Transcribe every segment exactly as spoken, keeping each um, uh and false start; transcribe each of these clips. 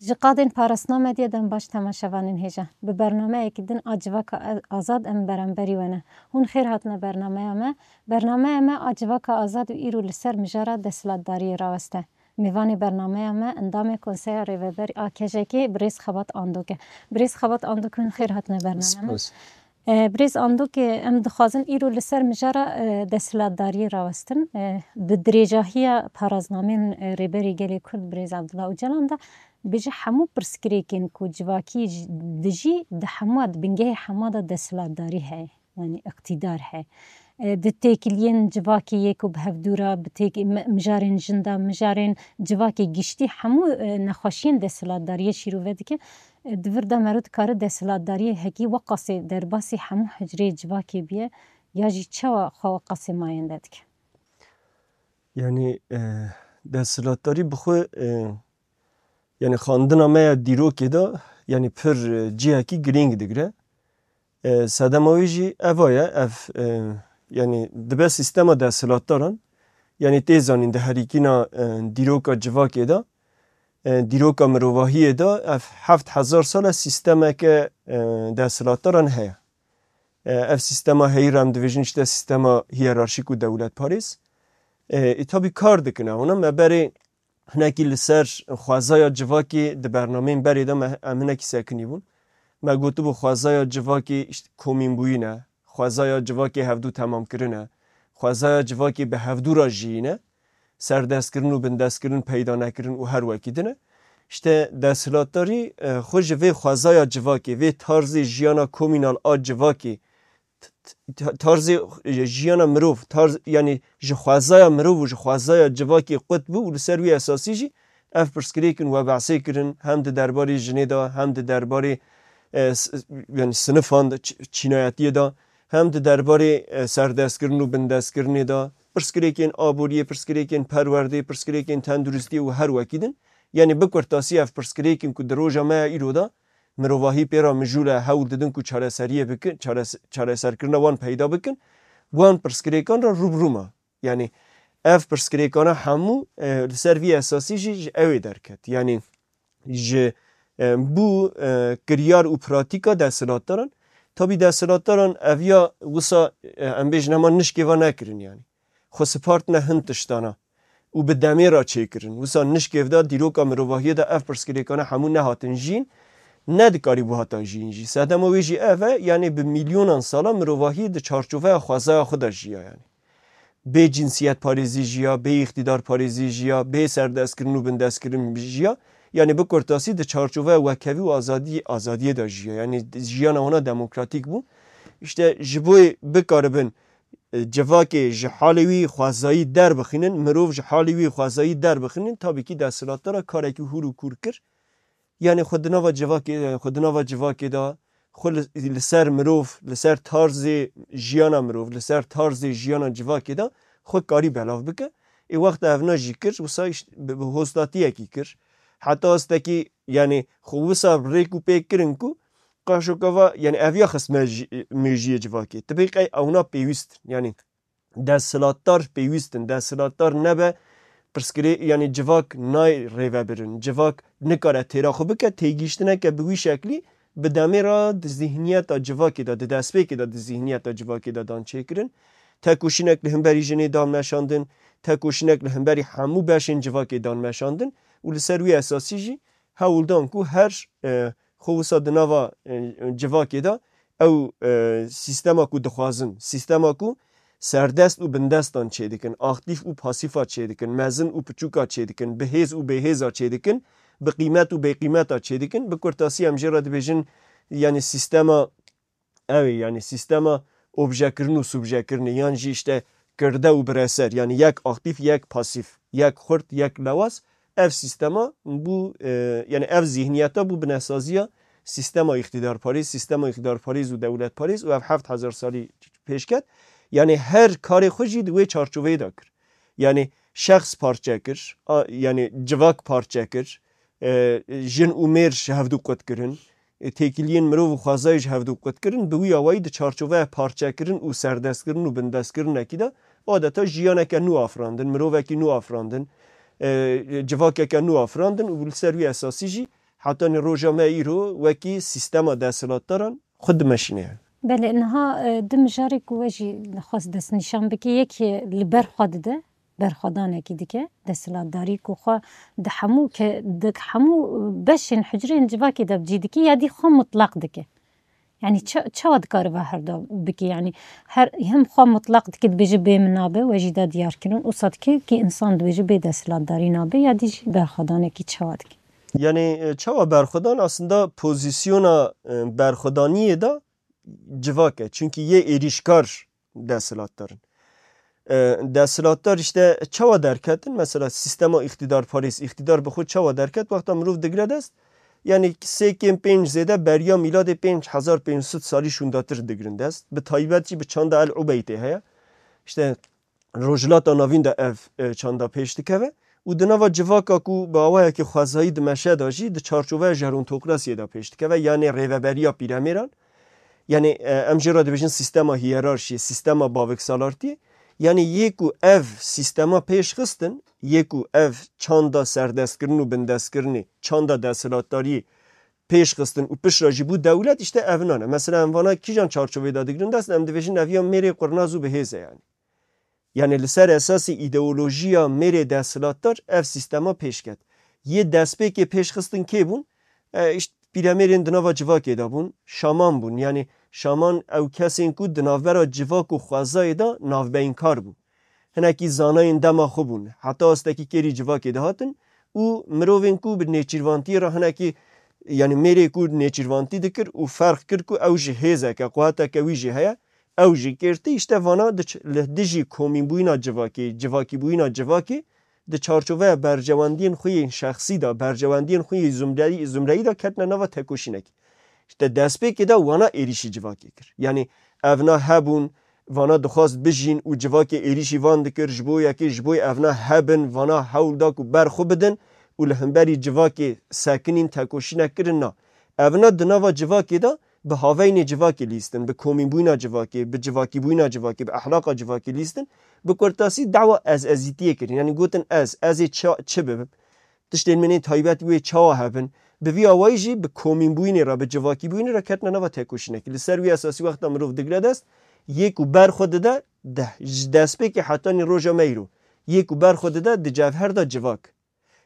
Ji qadên parastina medyê dem baş temaşevanên hêja. Bi bernameyekî din a Civaka Azad em beramberî we ne. Hûn xêr hatine bernameya me. Bernameya me a Civaka Azad û îro li ser mijara desthilatdariyê raweste. Mêvanê bernameya me endamê Konseya Rêveber a K J K'ê birêz Xebat Andok e. Birêz Xebat Andok, hûn xêr hatine bernameya me. Spas. E, Birêz Andok, e, em dixwazin îro li ser mijara, e, desthilatdariyê rawestin. E, di dirêjahiya paraznamên, e, Rêberê Gelê Kurd Birêz Abdullah Ocalan de bêje hemû pirsgirêkên ku civakî ji-, dijî di hemû, di bingehê hemû de desthilatdarî heye, yanî îqtîdar heye. E, di têkiliyên civakê yê ku bi hevdû re, bi têk-, mi-, mijarên jin de, mijarên civakê giştî hemû, e, nexweşiyên desthilatdariyê şîrove dike. E, di vir de mero dikare desthilatdariyê hekî weqasê derbasî hemû hicreyê civakê biye, ya jî çawa xwe weqasê mayende dike? Yanî, e, desthilatdarî bi xwe, e, yanî xwendina me ya dîrokê de, yanî pir, e, cihekî girîng digire. E, sedema wê jî eva ye, ev, e, yanî dibe sîstema desthilatdaran, yanî tê zanîn di herîkîna, e, dîroka civakê de, e, dîroka mirovahiyê de ev heft hezar sal e sîstemeke, e, desthilatdaran heye. E, ev sîstema heyî re em dibêjin işte sîstema hiyerarşîk û dewletparêz. E, ê tabî kar dikin, e, ona me berê hinekî li ser xwezaya civakê di bernameyên berê de me, em hinekî sekinî bûn. Me gotibû xwezaya civakê işte komînbûyîn e, xwezaya civakê hevdû temamkirin e, xwezaya civakê bi hevdû re jiyîn e, serdestkirin û bindestkirin peyda nekirin û her wekî din e. İşte desthilatdarî, e, xwe ji vê xwezaya civakê, vê tarzê jiyana komînal a civakê, t-, t-, tarzê jiyana mirov, tarz, yanî ji xwezaya mirov û ji xwezaya civakê qut bû û li ser wî esasî jî ev pirsgirêkin we behsê kirin, hem di derbarê jinê de, hem di derbarê, e, s-, yanî sinifan de, çi-, çînayetiyê de, hem di derbarê, e, serdestkirin û bindestkirinê de, pirsgirêkên aboriyê, pirsgirêkên perwerdê, pirsgirêkên tenduristiyê û her wekî din. Yanî bi kurtasî ev pirsgirêkin ku di roja me ya îro de mirovahî pê re mijûl e, hewl didin ku çareseriyê bikin, çares-, çareserkirina wan peyda bikin, wan pirsgirêkan re rû bi rû me. Yanî ev pirsgirêkana hemû, e, li ser vî esasî jî ji ew ê derket. Yanî ji, e, bû, e, kiryar û pratîka desthilatdaran. Tabî desthilatdaran ev ya wisa, e, em bêjin hema nişkê ve nekirin yanî. Xwe sipartine hin tiştana û bi demê re çêkirin. Wisa nişkê ve de dîroka mirovahiyê de ev pirsgirêkane hemû nehatin jîn, nedikarî bû hata jîn jî. Sedema wê jî ev e, yanî bi milyonan sala mirovahiyê di çarçoveya xwezaya xwe de jiya yanî. Bê cinsiyetparêzî jiya, bê îqtîdarparêzî jiya, bê serdestkirin û bindestkirin jiya. Yanî bi kurtasî di çarçoveya wekhevî û azadî, azadiyê de jiya. Yanî jiyana wana demokratîk bû. İşte ji bo bikaribin, e, civakê ji halê wî xwezayî derbixînin, mirov ji halê wî xwezayî derbixînin, tabî kî desthilatdara karekî hûr û kûr kir. Yanî xwe di nava civakê, xwe di nava civakê de, xwe li, li ser mirov, li ser tarzê jiyana mirov, li ser tarzê jiyana civakê de xwe karî belav bike. Ê wexta evna jî kir, wisa îşt-, bi, bi hostatiyekî kir. Heta astekî, yanî xwe wisa rêk û pêk kirin ku qaşokava, yanî ev ya xistme jî, mêjiyê civakê. Tibê qey ewna pêwîst in. Yanî desthilatdar pêwîst in. Desthilatdar nebe, pirsgirê, yanî civak nayê rêvebirin. Civak nikare têra xwe bike, têgihiştineke bi wî şeklî bi demê re di zîhniyeta civakê de, di destpêkê de di zîhniyeta civakê de dan çêkirin. Tekoşînek li hemberî jinê dan meşandin, tekoşînek li hemberî hemû beşên civakê dan meşandin û li ser wî esasî jî hewl dan ku her, e, xwe wisa di nava, e, civakê de ew, e, sîstema ku dixwazin, sîstema ku serdest û bindestan çêdikin, aktîf û pasîfa çêdikin, mezin û piçûka çêdikin, bihêz û bêhêza çêdikin, bi qîmet û bêqîmeta çêdikin. Bi kurtasî em jê re dibêjin, yanî sîstema ew ê, yanî sîstema objekirin û subjekirinê, yan jî işte kirde û bireser, yanî yek aktîf, yek pasîf, yek xurt, yek lewaz. Ev sîstema bû, e, yanî ev zîhniyeta bû binesaziya sîstema îqtîdarparêz, sîstema îqtîdarparêz û dewletparêz û ev heft hezar salî pêş ket. Yanî her karê xwe jî di wê çarçoveyê de kir. Yanî şexs parçe kir, a, yanî civak parçe kir, e, jin û mêr ji hevdû qut kirin, e, têkiliyên mirov û xwezayê ji hevdû qut kirin, bi wî awayî di çarçoveya parçekirin û serdestkirin û bindestkirinekî de adeta jiyaneke nû afirandin, mirovekî nû afirandin, e, civakeke nû afirandin û li ser wî esasî jî hetanî roja me îro wekî sîstema desthilatdaran xwe dimeşîne. Belê, niha e, du mijarê ku we jî xwest destnîşan bike, yekê li ber xwe dide, berxwedanekî dike, desthilatdarî ku xwe di hemû ke di hemû beşên hucreyên civakê de bi cî dike, ya dî xwe mutlaq dike. Yani çe- çawa dikare ve her da bike? Yani her hem xwe mutlaq dike, dibêje bê min nabe, we jî da diyar kirin, û sa dike ki insan dibêje bê desthilatdarî nabe, ya dî jî berxwedanekî çawa dike? Yani e, çawa berxwedan aslında pozisyona e, berxwedaniyê de civak e. Çünkü yê êrîşkar desthilatdar in. E, desthilatdar işte çawa derketin? Mesela sîstema îqtîdarparêz, îqtîdar bi xwe çawa derket? Wexta mirov digre dest, yani sê kêm pênc zêde beriya mîladê pênc hezar pênc sed salî şûndatir digirin dest. Bi taybet jî bi çanda El Ubeytê heye. İşte Rojhilata Navîn de ev e, çanda pêş dikeve û di nava civaka ku bi awayekî xwezayî dimeşe de jî di çarçoveya jerontokrasiyê de pêş dikeve, yanê rêveberiya pîremêran, yanê e, em jê re dibêjin sîstema hiyerarşiyê, sîstema baviksalartiyê, yanê yê ku ev sîstema pêş xistin, yê ku ev çanda serdestkirin û bindestkirinê, çanda desthilatdariyê pêş xistin û piştre jî bû dewlet, işte ev nan e. Mesela em vana kîjan çarçovê de digirin dest, em dibêjin ev ya mêrê qurnaz û bi hêz e yani. Yani li ser esasê îdeolojiya mêrê desthilatdar ev sîstema pêş ket. Yê destpêkê pêş xistin kê bûn? E, işte pîremêrên di nava civakê de bûn, şaman bûn. Yani şaman ew kesên ku di navbera civak û xwezayê de navbeynkar bûn. Hinekî zanayên dema xwe bûn. Heta astekî kêrî civakê dihatin û mirovên ku bi nêçîrvantiyê re hinekî, yani mêrê ku nêçîrvantî dikir û ferq kir ku ew ji hêzeke, quweteke wî jî heye, ew jî kêrtî, işte vana diç-, li dijî komînbûyîna civakê, civakîbûyîna civakê, di çarçoveya berjewendiyên xwe yên şexsî de, berjewendiyên xwe yên zumreyî, zumreyî de ketine nava tekoşînekê. İşte destpêkê de wana êrîşî civakê kir. Yani evna hebûn, vana dixwast bijîn û civakê êrîşî van dikir, ji bo yekê, ji bo evna hebin, vana hewl da ku ber xwe bidin û li hemberî civakê sekinîn, tekoşînek kirin, na. Evna di nava civakê de bi haveynê civakê lîstin, bi komînbûyîna civakê, bi civakîbûyîna civakê, bi ehlaqa civakê lîstin, bi kurtasî dawa ez-ezîtiyê kirin. Yani gotin ez, ez ê ça-, çi bibim? Tiştên min ên taybet wê çawa hebin? Bi vî awayî jî bi komînbûyînê re, bi civakîbûyînê re ketine nava tekoşînekê. Li ser wî esasî wexta mirov digre dest, yê ku ber xwe dide, de, ji destpêkê hetanî roja me îro, yê ku ber xwe dide, di cevher de civak.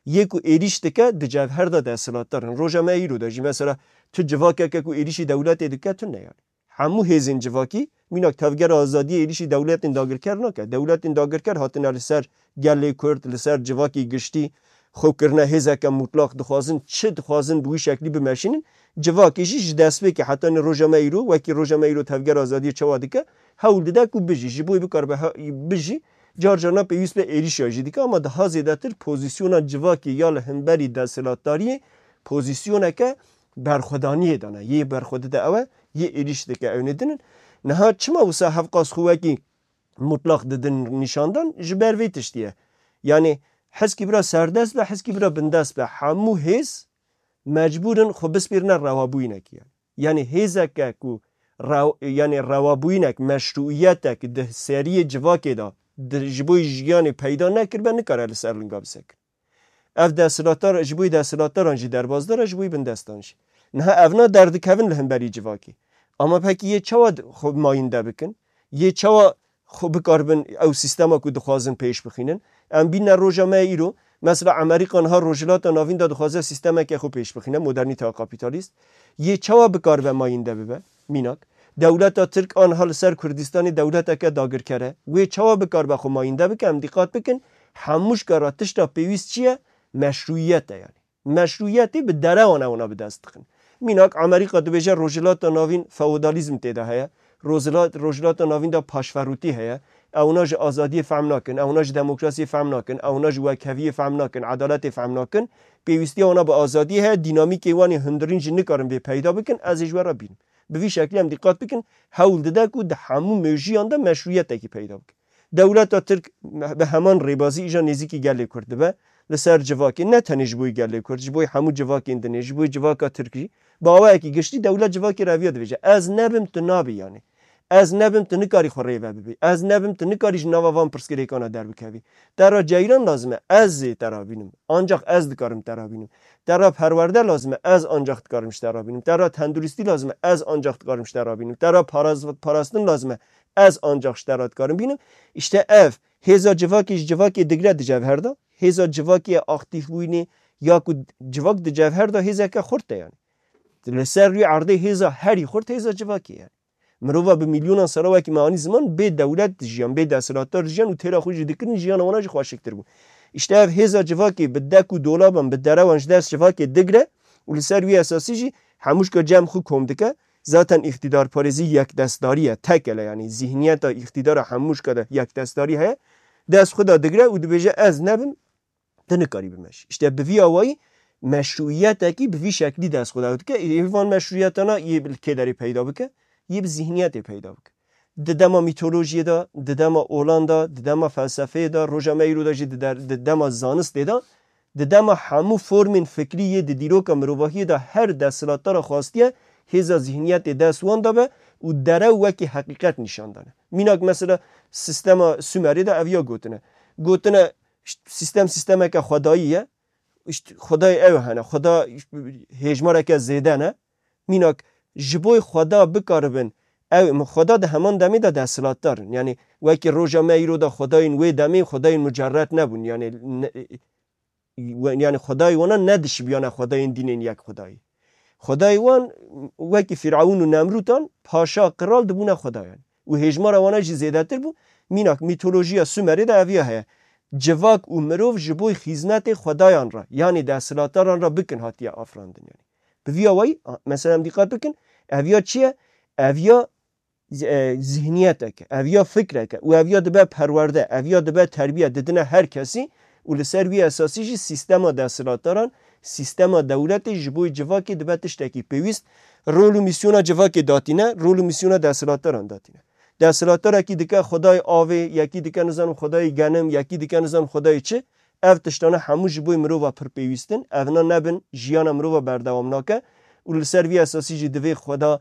Yê ku êrîş dike, di cevher de desthilatdar in. Roja me îro de jî mesela tu civakeke ku êrîşî dewletê dike, tune yani. Hemû hêzên civakî, mînak Tevgera Azadiyê êrîşî dewletên dagirker nake. Dewletên dagirker hatine li ser gelê Kurd, li ser civakî giştî, xwe kirine hêzeke mutlaq, dixwazin çi dixwazin bi wî şeklî bimeşînin. Civakê jî ji destpêkê hetanî roja me îro, wekî roja me îro Tevgera Azadiyê çawa dike, hewl dide ku bijî, ji bo wê bikaribe he-, bijî, car carna pêwîst be êrîşa jî dike, ama daha zêdetir pozîsyona civakê ya li hemberî desthilatdariyê pozîsyoneke berxwedaniyê de ne. Yê berxwe dide ew e, yê êrîş dike ew nê din in. Niha çima wisa hevqas xwe wekî mutlaq didin nîşandan? Ji ber vê tiştî ye. Yanî hizkî bira serdest be, hizkî bira bindest be, hemû hêz mecbûr in xwe bispêrine rewabûyînekî ye. Yanî hêzeke ku rew-, yanî rewabûyînek, meşrûiyetek di seriyê civakê de di, ji bo jiyanê peyda nekiribe, nikare li ser linga bisekin. Ev desthilatdar, ji bo desthilatdaran jî derbasdar e, ji bo bindestan jî. Niha evna derdikevin li hemberî civakê. Ama pekî yê çawa d-, xwe mayînde bikin? Yê çawa xwe bikaribin ew sîstema ku dixwazin pêş bixînin? Em bîne roja me îro, mesela Amerîka niha Rojhilata Navîn de dixwaze sîstemeke xwe pêş bixîne, modernîteya kapîtalîst. Yê çawa bikaribe mayînde bibe? Mînak. Dewleta Tirk aniha li ser Kurdistanê dewleteke dagirker e. Wê çawa bikaribe xwe mayînde bike? Em dîqat bikin, hemû ji kara tişta pêwîst çi ye? Meşrûyiyet e yani. Meşrûyiyetê bi derewan ewna bi dest dixin. Mînak Amerîka dibêje Rojhilata Navîn feodalîzm tê de heye. Rojhila-, Rojhilata Navîn de paşverûtî heye. Ewna ji azadiyê fehm nakin, ewna ji demokrasiyê fehm nakin, ewna ji wekheviyê fehm nakin, edaletê fehm nakin. Pêwîstiya wana bi azadiyê heye, dînamîkê wan ê hundirîn jî nikarin vê peyda bikin, ez ê ji we re bînim. Bi vî şeklî em dîqat bikin, hewl dide ku di hemû mêjiyan de meşrûyetekî peyda bike. Dewleta Tirk bi heman rêbazî îja nêzîkî gelê Kurd dibe, li ser civakê, ne tenê ji bo gelê Kurd, ji bo hemû civakên dinê, ji bo civaka Tirk jî, bi awayekî giştî dewlet civakê re eviya dibêje, ez nebim, tu nabî yanî. Ez nebim, tu nikarî xwe rêve bibî. Ez nebim, tu nikarî ji nava van pirsgirêkana derbikevî. Te re ceyran lazim e, ez ê te re bînim. Ancak ez dikarim te re bînim. Te re perwerde lazim e, ez ancak dikarim ji te re bînim. Te re tenduristî lazim e, ez ancak dikarim ji te re bînim. Te re paraz-, parastin lazim e, ez ancak ji te re dikarim bînim. Îşte ev hêza civakê ji civakê digre di cevher de. Hêza civakê ya aktîfbûyînê ya ku civak di cevher de hêzeke xurt e yani. Li ser rûyê erdê hêza herî xurt hêza civakê ye. Mirova bi milyonan sala wekî me anî ziman bê dewlet dijiyan, bê desthilatdar dijiyan û têra xwe jî dikirin, jiyana wana jî xweşiktir bû. Îşte ev hêza civakê bi dek û dolaban, bi derewan ji dest civakê digre û li ser wî esasî jî hemûşka cem xwe kom dike. Zaten îqtîdarparêzî yekdestdarî ye, tekele, yanî zîhniyeta îqtîdara hemûşka de yekdestdarî heye. Dest xwe de digre û dibêje ez nebim, tu nikarî bimeşî. Îşte bi vî awayî meşrûiyetekî bi vî şeklî dest xwe de dike. Ê van meşrûiyetana yê bi kêderê peyda bike, yê bi zîhniyetê peyda bike. Di dema mîtolojiyê de, di dema olan de, di dema felsefeyê de, roja me îro de jî di der-, di dema zanistê de, di dema hemû formên fikrî yê di dîroka mirovahiyê de her desthilatdara xwastiye hêza zîhniyetê dest wan de be û derew wekî heqîqet nîşan dane. Mînak mesela sistema Sumerê de ev ya gotine. Gotine, Îşte sîstem sîstemeke xwedayî ye. Îşte xwedayê ew hene. Xweda hêjmareke zêde ne. Mînak ji bo xweda bikaribin. Ew xweda di heman demê de desthilatdar in. Yanî wekî roja me îro de xwedayên wê demê xwedayên mucerret nebûn. Yanî ne, we-, yanî xwedayê wana nedişibiyane xwedayên dînên yek xwedayî. Xwedayê wan wekî Fîrewn û Nemrûtan paşa, qral dibûne xwedayan. Û hêjmara wana jî zêdetir bû. Mînak mîtolojiya Sumerê de eviya heye. Civak û mirov ji bo xîznetê xwedayan re, yanî desthilatdaran re bikin hatiye afirandin. Yanî bi vî awayî, a, mesela em dîqet bikin, eviya çi ye? Eviya z-, e, zihniyetek e, ev ya fikrek e û ev ya dibe perwerde, ev ya dibe terbiye, didine her kesî û li ser wî esasî jî sîstema desthilatdaran, sîstema dewletê ji bo civakê dibe tiştekî pêwîst. Rol û mîsyona civakê datîne, rol û mîsyona desthilatdaran datîne. Desthilatdarekî dike xwedayê avê, yekî dike nizanim xwedayê genim, yekî dike nizanim xwedayê çi. Ev tiştane hemû ji bo mirova pir pêwîst in. Evna nebin, jiyana mirova berdewam nake û li ser vî esasî jî divê xweda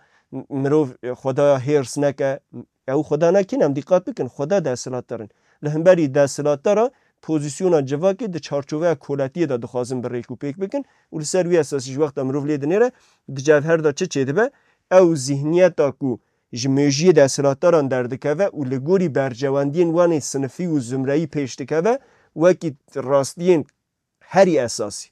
mirov, xwedaya hêrs neke. Ew xweda ne kîn, em dîqat bikin, xweda desthilatdar in. Li hemberî desthilatdara pozîsyona civakê di çarçoveya koletiyê de dixwazin bi rêk û pêk bikin û li ser wî esasî ji wexta mirov lê dinêre, di cevher de çi çêdibe? Ew zîhniyeta ku ji mêjiyê desthilatdaran derdikeve û li gorî berjewendiyên wan ê sinifî û zumreyî pêş dikeve, wekî rastiyên herî esasî,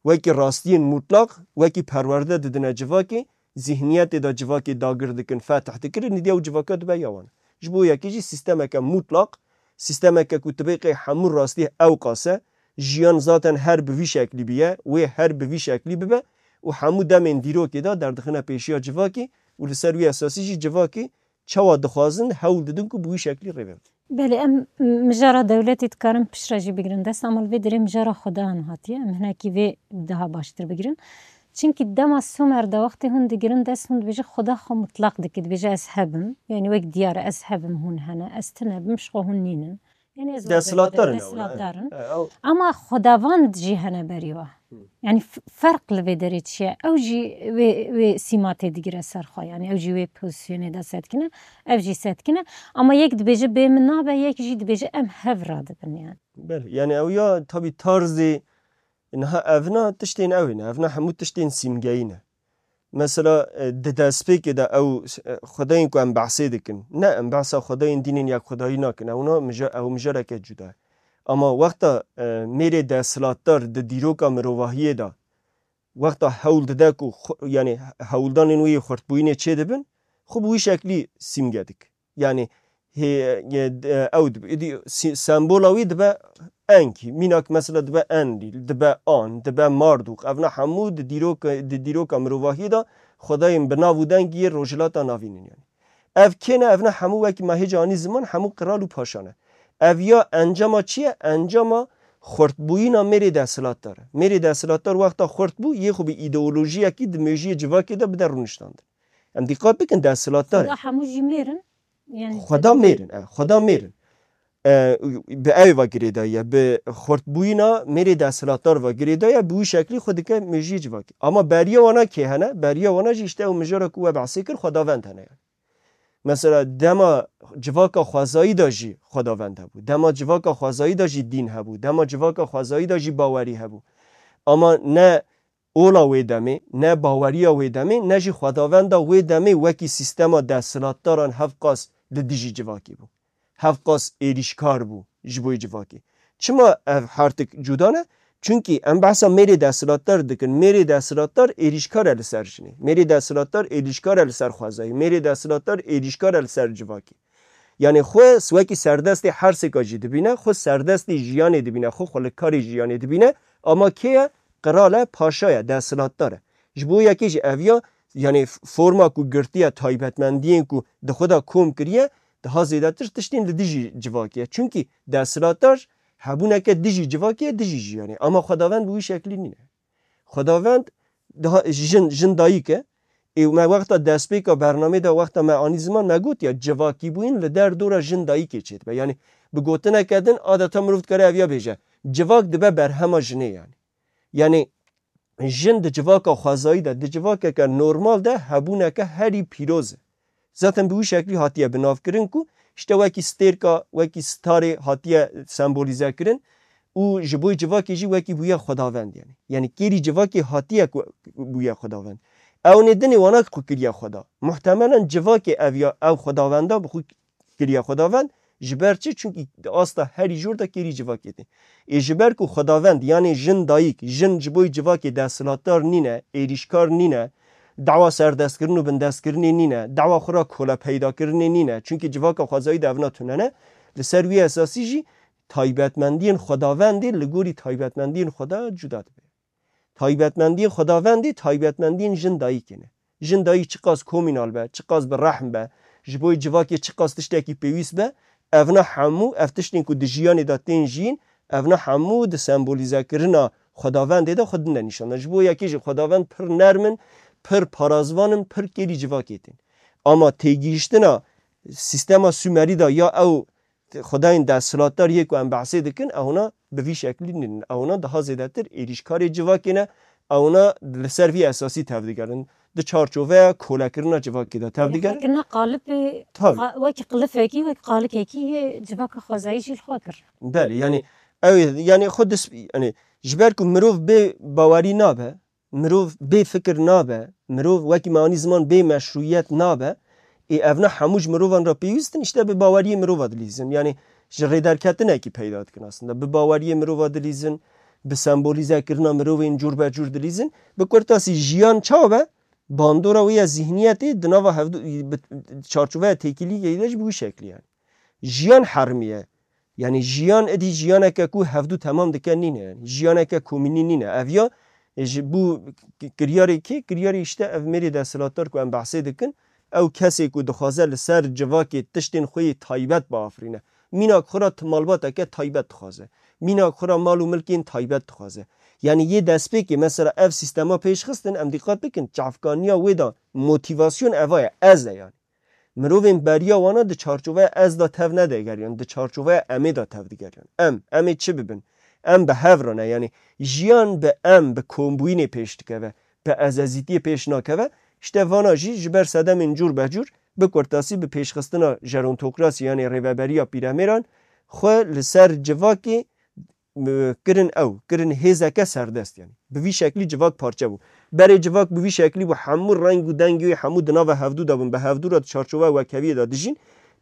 wekî rastiyên mutlaq, wekî perwerde didine civakê, zîhniyetê de civakê dagir dikin, fetih dikirin, nîdiya ew civaka dibe ya wan. Ji bo yekê jî sîstemeke mutlaq, sîstemeke ku tibê qey hemû rastî ewqas e, jiyan zaten her bi vî şeklî biye, wê her bi vî şeklî bibe û hemû demên dîrokê de derdixine pêşiya civakê û li ser wî esasî jî civakê çawa dixwazin, hewl didin ku bi wî şeklî rêve bidin. Belê, em mijara dewletê dikarin piştre jî bigirin dest, ama li vê derê mijara Xudan hatiye. Em hinekî vê daha baştir bigirin. Çimkî dema Sumer de wextê hûn digirin dest, hûn dibêje Xuda xwe mutlaq dike, dibêje ez hebim. Yanî wek diyar e, ez hebim, hûn hene, ez tune bim, ji xwe hûn nînin. Yanî ez Desthilatdar in ew, ne? Desthilatdar in. He, ew. Ama xwedavan jî hene berî we. Hı. Yanî f-, ferq li vê derê çi ye? Ew jî wê, wê sîma tê digire ser xwe. Yanî ew jî wê pozîsyonê de sedikine, ev jî sedikine. Ama yek dibêje bê min nabe, yek jî dibêje em hev radibin yani. Belê, yani ew ya tabî tarzê niha evna tiştên ew ne. Evna hemû tiştên sîmgeyî ne. Mesela, e, di destpêkê de ew, e, xwedayên ku em behsê dikin. Ne, em behsa xwedayên dînên yekxwedayî nakin. Ewna mija-, ew mijareke cuda ye. Ama wexta, e, mêrê desthilatdar di dîroka mirovahiyê de, wexta hewl dide ku xwe, yani hewldanên wê yê xurtbûyînê çêdibin, xwe bi wî şeklî sîmge dike. Yani hê, ye, e, ew dibe, êdî sî-, sembola wî dibe Enkî. Mînak mesela dibe Enlîl, dibe An, dibe Mardûk. Evna hemû di dîroka, di dîroka mirovahiyê de xwedayên bi nav û dengî yê Rojhilata Navîn in yani. Ev kê ne? Evna hemû wekî me hêca anî ziman, hemû qral û paşa ne. Ev ya encama çi ye? Encama xurtbûyîna mêrê desthilatdar e. Mêrê desthilatdar wexta xurt bû, yê xwe bi îdeolojiyekî di mêjiyê civakê de bide rûniştandin. Em dîqat bikin, desthilatdar e. Xweda hemû jî mêr in. Yani Xweda mêr in, e, Xweda mêr in. E, bi ew ve girêdayî ye, bi xurtbûyîna mêrê desthilatdar ve girêdayî ye, bi wî şeklî xwe dike mêjiyê civakê. Ama beriya wana kê hene? Beriya wana jî işte ew mijara ku we behsê kir, xwedavend hene yani. Mesela dema civaka xwezayî de jî xwedavend hebû. Dema civaka xwezayî de jî dîn hebû. Dema civaka xwezayî de jî bawerî hebû. Ama ne ola wê demê, ne baweriya wê demê, ne jî xwedavenda wê demê wekî sîstema desthilatdaran hevqas li dijî civakê bû. Hevqas êrîşkar bû ji bo civakê. Çima ev hertik cuda ne? Çunkî em behsa mêrê desthilatdar dikin. Mêrê desthilatdar êrîşkar e li ser jinê. Mêrê desthilatdar êrîşkar e li ser xwezayî. Mêrê desthilatdar êrîşkar e li ser civakê. Yanî xwe wekî serdestê her sêka jî dibîne, xwe serdestê jiyanê dibîne, xwe xwe li karê jiyanê dibîne. Ama kê ye? Qral e, paşa ye, desthilatdar e. Ji bo yekê jî ev ya, yanî forma ku girtiye, taybetmendiyên ku di xwe de kom kiriye, daha zêdetir tiştên li dijî civakê ye. Çunkî desthilatdar hebûneke dijî civakê ye, dijî jiyanê. Ama xwedavend bi wî şeklî nîne. Xwedavend daha jin, jin dayik e. Ê me wexta destpêka bernamê de, wexta me anî ziman, me got ya civakîbûyîn li derdora jin dayikê çêdibe. Yanî bi gotineke din adeta mirov dikare ev ya bêje. Civak dibe berhema jinê yanî. Yanî jin di civaka xwezayî de, di civakeke normal de hebûneke herî pîroz e. Zaten bi wî şeklî hatiye binavkirin ku işte wekî stêrka, wekî starê hatiye sembolîze kirin û ji bo civakê jî wekî bûye xwedavend yanî. Yanî kêrî civakê hatiye ku bûye xwedavend. Ew nê dinê wana ku kiriye xweda. Muhtemelen civakê ev ya ew xwedavenda bi xwe kiriye xwedavend. Ji ber çi? Çunkî di asta herî jor de kêrî civakê tê. Ê ji ber ku xwedavend, yanê jin dayik, jin ji bo civakê desthilatdar nîne, êrîşkar nîne, dawa serdestkirin û bindestkirinê nîne, dawa xwe ra kolepeydakirinê nîne. Çunkî civaka xwezayî de evna tune ne. Li ser wî esasî jî taybetmendiyên xwedavendê li gorî taybetmendiyên xweda cuda dibe. Taybetmendiyên xwedavendê taybetmendiyên jin dayikê ne. Jin dayik çiqas komînal be, çiqas bi rehm be, ji bo civakê çiqas tiştekî pêwîst be, evna hemû, ev tiştên ku di jiyanê de tên jiyîn, evna hemû di sembolîzekirina xwedavendê de xwe dine nîşan de. Ji bo yekê jî xwedavend pir nerm in, pir parazvan in, pir kêrî civakê tên. Ama têgihiştina sîstema Sumerî de ya ew xwedayên desthilatdar yê ku em behsê dikin, ewna bi vî şeklî nîn. Ewna daha zêdetir êrîşkarê civakê ne, ewna li ser vî esasî tevdigerin. Di çarçoveya kolekirina civakê de tevdigerin. Kolekirina qalibê Tabii. qa-, wekî qilifekî, wekî qalikekî yê civaka xwezayî jî li xwe kir. Belê, yanî ew ê, yanî xwe dis-, yanî ji ber ku mirov bê bawerî nabe, mirov bê fikir nabe, mirov wekî me anî ziman bê meşrûyet nabe, ê evna hemû ji mirovan re pêwîst in, işte bi baweriyê mirova dilîzin. Yanî ji rêderketinekî peyda dikin aslında. Bi baweriyê mirova dilîzin, bi sembolîzekirina mirovên cûr be cûr dilîzin. Bi kurtasî jiyan çawa be? Bandora wê ya zihniyetê di nava hevdu-, bi çarçoveya têkilî de jî bi wî şeklî yanî. Jiyan hermiye. Yanî jiyan êdî jiyaneke ku hevdu temam dike nîne. Yanî jiyaneke komînî nîne. Ev ya, e, ji bo k-, kiryarê kê? Kiryarê işte ev mêrê desthilatdar ku em behsê dikin, ew kesê ku dixwaze li ser civakê tiştên xwe yê taybet biafirîne. Mînak xwe ra ti malbateke taybet dixwaze. Mînak xwe ra mal û milkên taybet dixwaze. Yanî yê destpêkê mesela ev sîstema pêş xistin, em dîqat bikin, çavkaniya wê de motîvasyon eva ye, ez e yanî. Mirovên beriya wana di çarçoveya ez de tev nedigeriyan, di çarçoveya emê de tev digeriyan. Em, em ê çi bibin? Em bi hev re ne, yanî jiyan bi em, bi kombûyînê pêş dikeve, bi ezezîtiyê pêş nakeve. Îşte vana jî ji ber sedemên cûr be cûr, bi kurtasî bi pêşxistina jerontokrasî, yanî rêveberiya pîremêran, xwe li ser civakê e, kirin ew, kirin hêzeke serdest, yanî. Bi vî şeklî civak parçe bû. Berê civak bi vî şeklî bû, hemû reng û dengê wê hemû di nava hevdû de bûn, bi hevdû re di çarçoveya wekheviyê de dijîn.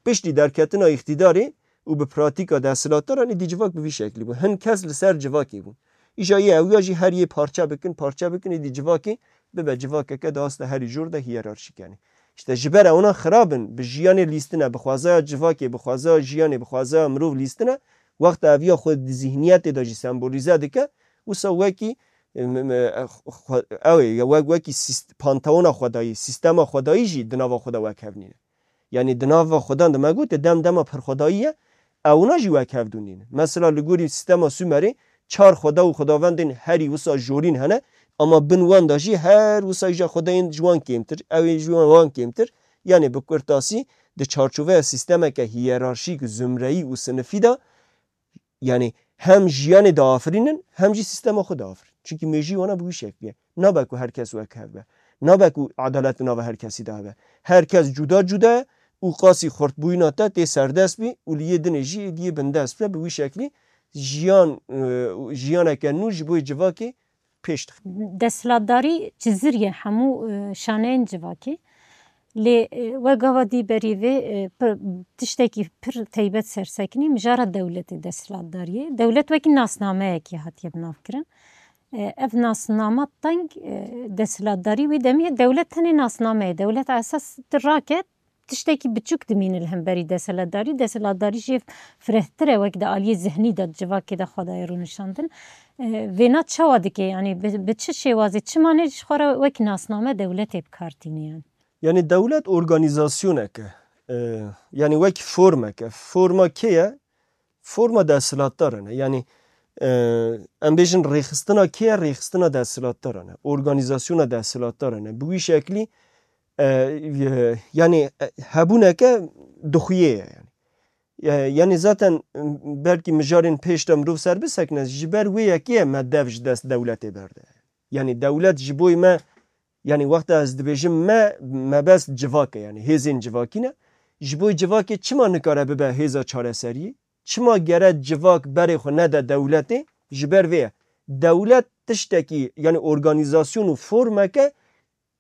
Piştî derketina îqtîdarê û bi pratîka desthilatdaran êdî civak bi vî şeklî bû. Hin kes li ser civakê bûn. Îja yê ew ya jî her yê parçe bikin, parçe bikin, êdî civakê bibe civakeke di asta herî jor de hiyerarşîk, yanî. Îşte ji ber ewna xirab in, bi jiyanê lîstine, bi xwezaya civakê, bi xwezaya jiyanê, bi xwezaya mirov lîstine, wexta ev ya xwe di zihniyetê de jî sembolîze dike, wisa wekî, em, em, e, xwe, ew ê, ya wek, wekî sîst-, panteona xwedayî, sîstema xwedayî jî di nava xwe de wekhev nîne. Yanî di nava xwedan de me gote dem dema pirxwedayî ye, ewna jî wekhev dû nîne. Mesela li gorî sîstema Sumerê çar xweda û xwedavendên herî wisa jorîn hene, ama bin wan de jî her wisa îja xwedayên ji wan kêmtir, ew ê ji wan kêmtir. Yanî bi kurtasî di çarçoveya sîstemeke hiyerarşîk, zumreyî û sinifî de, yanî hem jiyanê diafirînin, hem jî sîstema xwe diafirînin. Çunkî mêjî wana bi wî şeklî ye. Nabe ku her kes wek hev be. Nabe ku edalet di nava her kesî de hebe. Her kes cuda cuda ye, û qasî xurtbûyîna te tê serdest bî û li yê dinê jî êdî yê bindest be, bi wî şeklî jiyan, e, jiyaneke nû ji bo yê civakê pêş dixe. Desthilatdarî cizir ye hemû, e, şaneyên civakê. Lê, e, we gava dî berî vê, e, pir, tiştekî pir teybet sersekinî mijara dewletê desthilatdariyê. Dewlet wekî nasnameyekê hatiye binavkirin. E, ev nasnama teng, e, desthilatdarî wî demê ye. Dewlet tenê nasname ye. Dewlet esas tu rake tiştekî biçûk dimîne li hemberî desthilatdarî. Desthilatdarî jê firehtir e, wek di aliyê zihnî de, di civakê de xwe daye rûnişandin. E, vêna çawa dike? Yanî bi, bi çi şêwazê, çima ne ji xwe re wek nasname dewletê bi kar tîne yani? Yanî dewlet organîzasyonek e. E, yanî wek formek e. Forma kê ye? Forma desthilatdaran e. Yanî, e, em bêjin rêxistina kê ye? Rêxistina desthilatdaran e. Organîzasyona desthilatdaran e. Bi wî şeklî, e, e, yanî, e, hebûneke dixuyê ye. Yanî. E, yanî zaten, e, belkî mijarên pêş de mirov ser bisekine, ji ber wê yekê ye me dev ji dest dewletê berde. Yanî dewlet ji bo me, yanî wexta ez dibêjim me, mebest civak e, yanî hêzên civakî ne. Ji bo civakê çima nikare bibe hêza çareseriyê? Çima gere civak berê xwe nede dewletê? Ji ber vê ye. Dewlet tiştekî, yanî organîzasyon û formeke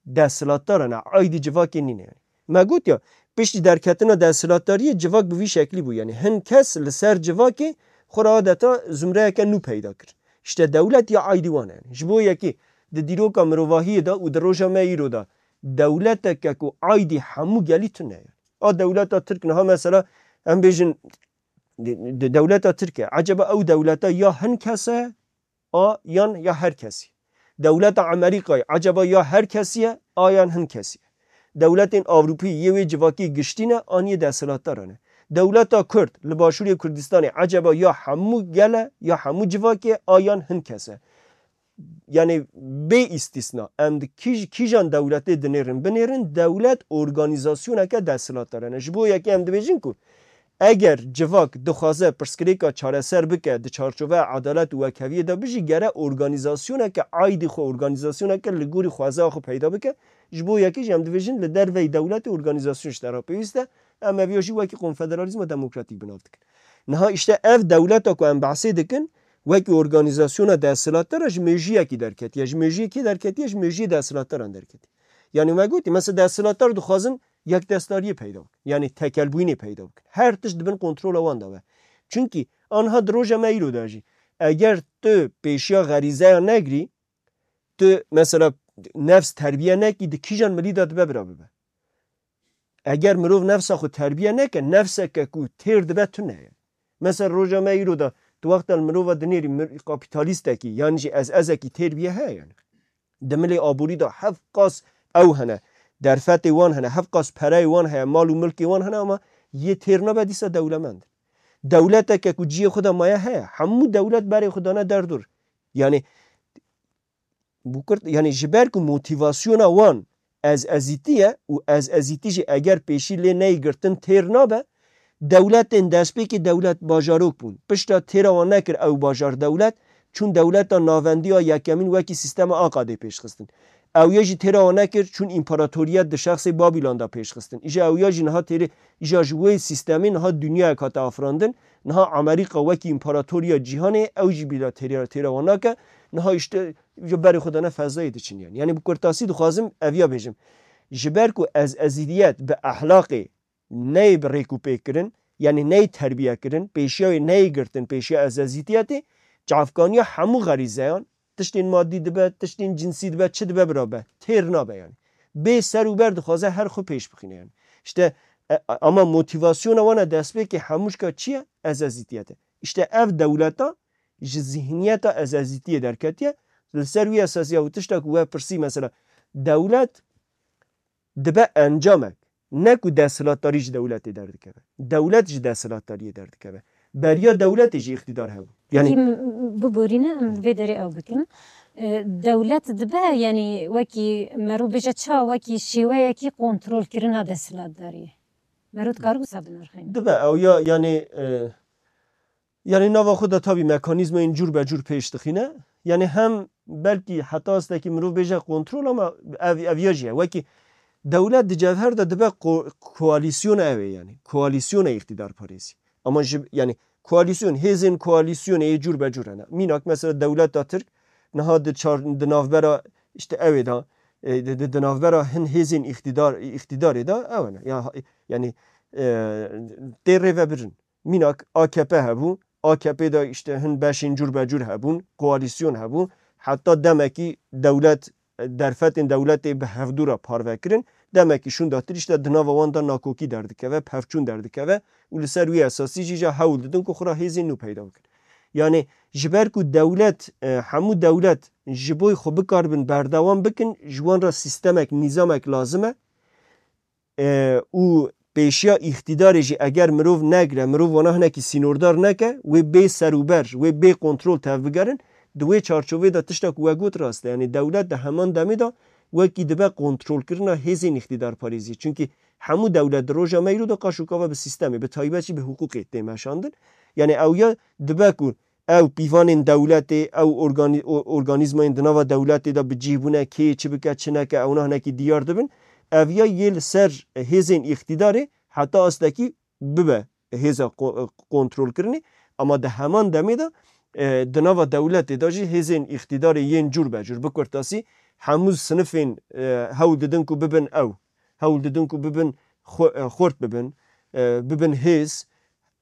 desthilatdaran e, aydî civakê nîne. Me got ya, piştî derketina desthilatdariyê civak bi vî şeklî bû. Yanî hin kes li ser civakê xwe re adeta zumreyeke nû peyda kir. Îşte dewlet ya aydî wan e. Yanî ji bo yekê di dîroka mirovahiyê de û di roja me îro de dewleteke ku aydî hemû gelî tune ye. A dewleta Tirk niha mesela em bêjin di, di dewleta Tirk e. Eceba ew dewleta ya hin kes e, a yan ya her kesî? Dewleta Amerîkayê eceba ya her kesî ye, a yan hin kesî ye? Dewletên Ewropî yê wê civakî giştî ne, an yê desthilatdaran e? Dewleta Kurd li Başûrê Kurdistanê eceba ya hemû gel e, ya hemû civakê ye, a yan hin kes e? Yanî bê îstîsna, em di kîj-, kîjan dewletê dinêrin binêrin, dewlet organîzasyoneke desthilatdaran e. Ji bo yekê em dibêjin ku eger civak dixwaze pirsgirêka çareser bike, di çarçoveya edalet û wekheviyê de bijî, gere organîzasyoneke aydî xwe, organîzasyoneke li gorî xwezaya xwe peyda bike. Ji bo yekê jî em dibêjin li derveyî dewletê organîzasyon ji te re pêwîst e. Em ev ya jî wekî konfederalîzma demokratîk bi nav dikin. Niha îşte ev dewleta ku em behsê dikin, wekî organîzasyona desthilatdar e, ji mêjiyekî derketiye. Ji mêjiyê kê derketiye? Ji mêjiyê desthilatdaran derketiye. Yanî me gotî, mesela desthilatdar dixwazin yekdestdariyê peyda bikin. Yanî tekelbûyînê peyda bikin. Her tişt di bin kontrola wan de be. Çunkî anha di roja me îro de jî, eger tu pêşiya xerîzeya negirî, tu mesela nefs terbiye nekî, di kîjan milî de dibe bira bibe? Eger mirov nefsa xwe terbiye neke, nefseke ku têr dibe tune ye. Mesela roja me îro de tu wexta li mirova dinêrî mir-, kapîtalîstekî yan jî ez ezekî têr bûye heye yani. Di milê aborî de hevqas ew hene, derfetê wan hene, hevqas pereyê wan heye, mal û milkê wan hene ama yê têr nabe dîsa dewlemend. Dewleteke ku cihê xwe de maye heye, hemû dewlet berê xwe dane derdor. Yani Bi kurt, yanî ji ber ku motîvasyona wan ez ezîtî ye û ez ezîtî jî eger pêşî lê neyê girtin têr nabe, dewletên destpêkê dewlet bajarok bûn. Pişta têra wan nekir ew bajar dewlet, çûn dewleta navendî ya yekemîn wekî sîstema Aqadê pêş xistin. Ew ya jî têra wan nekir, çûn împaratoriyet di şexsê Babîlon de pêş xistin. Îja ew ya jî niha têrê, îja ji wê sîstemê niha dinyayek hate afirandin. Niha Amerîka wekî împaratoriya cîhanê, ew jî bîra têrê, têra wan nake. Niha îşte ji berê xwe dane fezayê diçin yani. Yani bi kurtasî dixwazim ev ya bêjim. Ji ber ku ez ezîdiyet bi ehlaqê neyê bi rêk û pêk kirin, yani neyê terbiye kirin, pêşiya wê neyê girtin, pêşiya ez ezîdiyetê, çavkaniya hemû xerîzeyan, tiştên madî dibe, tiştên cinsî dibe, çi dibe bira be, têr nabe yani. Bê ser û ber dixwaze her xwe pêş bixîne yani. İşte, e, ama motîvasyona wana destpêkê hemûşka çi ye? Ez ezîdiyet e. İşte ev dewleta ji zihniyeta ez ezîtiyê derketiye. Li ser wî esasiya û tişta ku we pirsî mesela dewlet dibe encamek, ne ku desthilatdarî ji dewletê derdikeve. Dewlet ji desthilatdariyê derdikeve. Beriya dewletê jî îqtîdar hebû. Yanî Pekî, m- biborîne em vê derê ew bikin. E, Dewlet dibe, yanî wekî mero bêje ça, wekî şêweyekî kontrolkirina desthilatdariyê. Mero dikare wisa binirxîne. Dibe ew ya, yanî, e, yanî nava xwe de tabî mekanîzmayên cûr be cûr pêş dixîne. Yanî hem belkî heta astekî mirov bêje kontrol ama ev, ev ya jî ye. Wekî Dewlet di cevher de dibe ko-, koalîsyona ew ê, yanî koalîsyona îqtîdarparêzî. Ama ji, yanî koalîsyon, hêzên koalîsyonê yê cûr be cûr hene. Mînak mesela dewleta Tirk niha di çar, di navbera işte ew ê de, e, di, di, di navbera hin hêzên îqtîdar, îqtîdarê de ew hene. Ya, yanî, e, tê rêvebirin. Mînak A K P hebû, A K P de işte hin beşên cûr be cûr hebûn, koalîsyon hebû. Heta demekî dewlet, derfetên dewletê bi hevdû re parve kirin. Demekî şûndatir işte di nava wan de nakokî derdikeve, pevçûn derdikeve û li ser wî esasî jî ja hewl didin ku xwe re hêzên nû peyda bikin. Yanî ji ber ku dewlet, e, hemû dewlet ji bo xwe bikaribin berdewam bikin, ji wan re sîstemek, nîzamek lazim e. E, û pêşiya îqtîdarê jî eger mirov negire, mirov wana hinekî sînordar neke, wê bê serûber, wê bê kontrol tevbigerin, di wê çarçovê de tişta ku we got rast e. Yanî dewlet di heman demê de wekî dibe kontrolkirina hêzên îqtîdarparêzî. Çunkî hemû dewlet di roja me îro de qaş û kava bi sîstemê, bi taybet jî bi hiqûqê tê meşandin. Yanî ew ya dibe ku ew pîvanên dewletê, ew organî-, o-, organîzmayên di nava dewletê de bi cih bûne, kê çi bike, çi neke, ewna hinekî diyar dibin. Ev ya yê li ser hêzên îqtîdarê heta astekî bibe hêza ko-, kontrolkirinê. Ama di heman demê de, e, di nava dewletê de jî hêzên îqtîdarê yên cûr be cûr, bi kurtasî hemû sinifên, e, hewl didin ku bibin ew. Hewl didin ku bibin xwe-, e, xurt bibin, e, bibin hêz,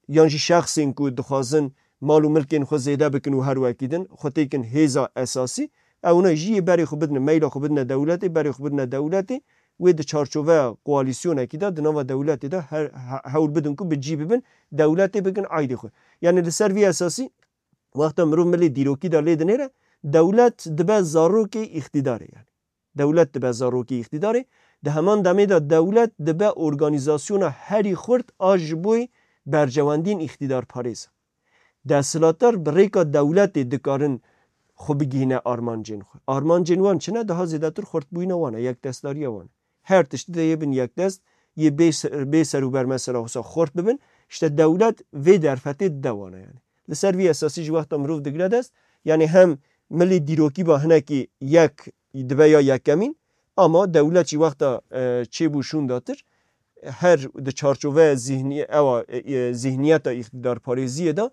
yan jî şexsên ku dixwazin mal û milkên xwe zêde bikin û her wekî din, xwe têkin hêza esasî, ewna jî yê berê xwe bidine, meyla xwe bidine dewletê, berê xwe bidine dewletê, wê di çarçoveya koalîsyonekî de, di nava dewletê de her, he-, hewl bidin ku bi cî bibin, dewletê bikin aydê xwe. Yanî li ser vî esasî, wexta mirov milê dîrokî de lê dinêre, dewlet dibe zarokê îqtîdarê yanî. Dewlet dibe zarokê îqtîdarê, di heman demê de dewlet dibe organîzasyona herî xurt a ji bo berjewendiyên îqtîdarparêz. Desthilatdar bi rêka dewletê dikarin xwe bigihîne armancên xwe. Armancên wan çi ne? Daha zêdetir xurtbûyîna wan e, yekdestdariya wan e. Her tiştî de yê bin yekdest, yê bê se-, bê serûber mesela wisa xurt bibin, işte dewlet vê derfetê dide wan e yanî. Li ser vî esasî jî wexta mirov digire dest, yanî hem milê dîrokî ba hinekî yek dibe ya yekemîn, ama dewlet jî wexta, e, çêbû şûndatir, her di çarçoveya zîhnî-, ewa, e, e, zîhniyeta îqtîdarparêziyê de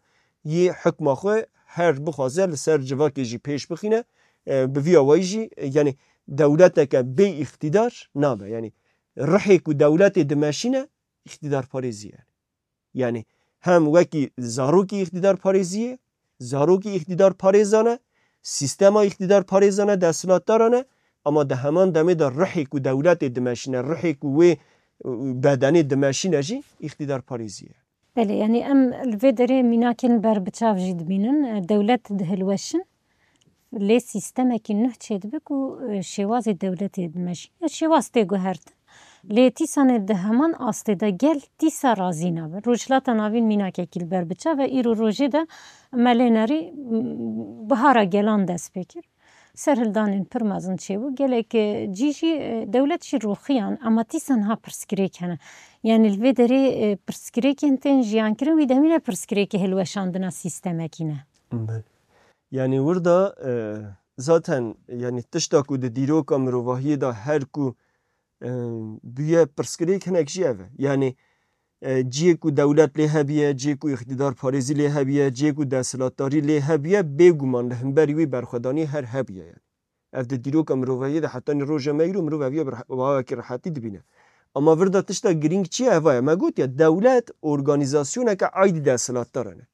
yê hikma xwe her bixwaze li ser civakê jî pêş bixîne, e, bi vî awayî jî, e, yanî dewleteke bê îqtîdar nabe. Yanî rihê ku dewletê dimeşîne, îqtîdarparêzî ye. Yanî hem wekî zarokî îqtîdarparêzî ye, zarokî îqtîdarparêzan e, sîstema îqtîdarparêzan e, desthilatdaran e, ama di heman demê de rihê ku dewletê dimeşîne, rihê ku wê, e, bedenê dimeşîne jî îqtîdarparêzî ye. Belê, yanî em li vê derê mînakên berbiçav jî dibînin. E, dewlet dihilweşin, lê sîstemekî nuh çêdibe ku, e, şêwazê dewletê dimeşîne. Şêwaz tê guhertin. Lê tîsanê di heman astê de gel tîsa razî nabe. Rojhilata Navîn mînakekî li ber biçav e. Îro rojê de me lê nerî, m, bihara gelan dest pê kir. Serhildanên pir mezin çêbû. Gelek, e, cî jî, e, dewlet jî roxiyan, ama tîsa niha pirsgirêk hene. Yanî li vê derê, e, pirsgirêkên tên jiyankirin, wî demî ne pirsgirêkê hilweşandina sîstemekî ne. Belê. Yanî wir de, e, zaten, yanî tişta ku di dîroka mirovahiyê de her ku, e, bûye pirsgirêk hinek jî ev e. Yanî, e, ciyê ku dewlet lê hebiye, ciyê ku îqtîdarparêzî lê hebiye, ciyê ku desthilatdarî lê hebiye, bêguman li hemberî wî berxwedanî her hebiye yanî. Ev di dîroka mirovahiyê de hetanî roja me îro mirov ev ya bi reh-, bi awakî rehetî dibîne. Ama vir de tişta girîng çi ye? Eva ye. Me gotiye, dewlet organîzasyoneke aydî desthilatdaran e.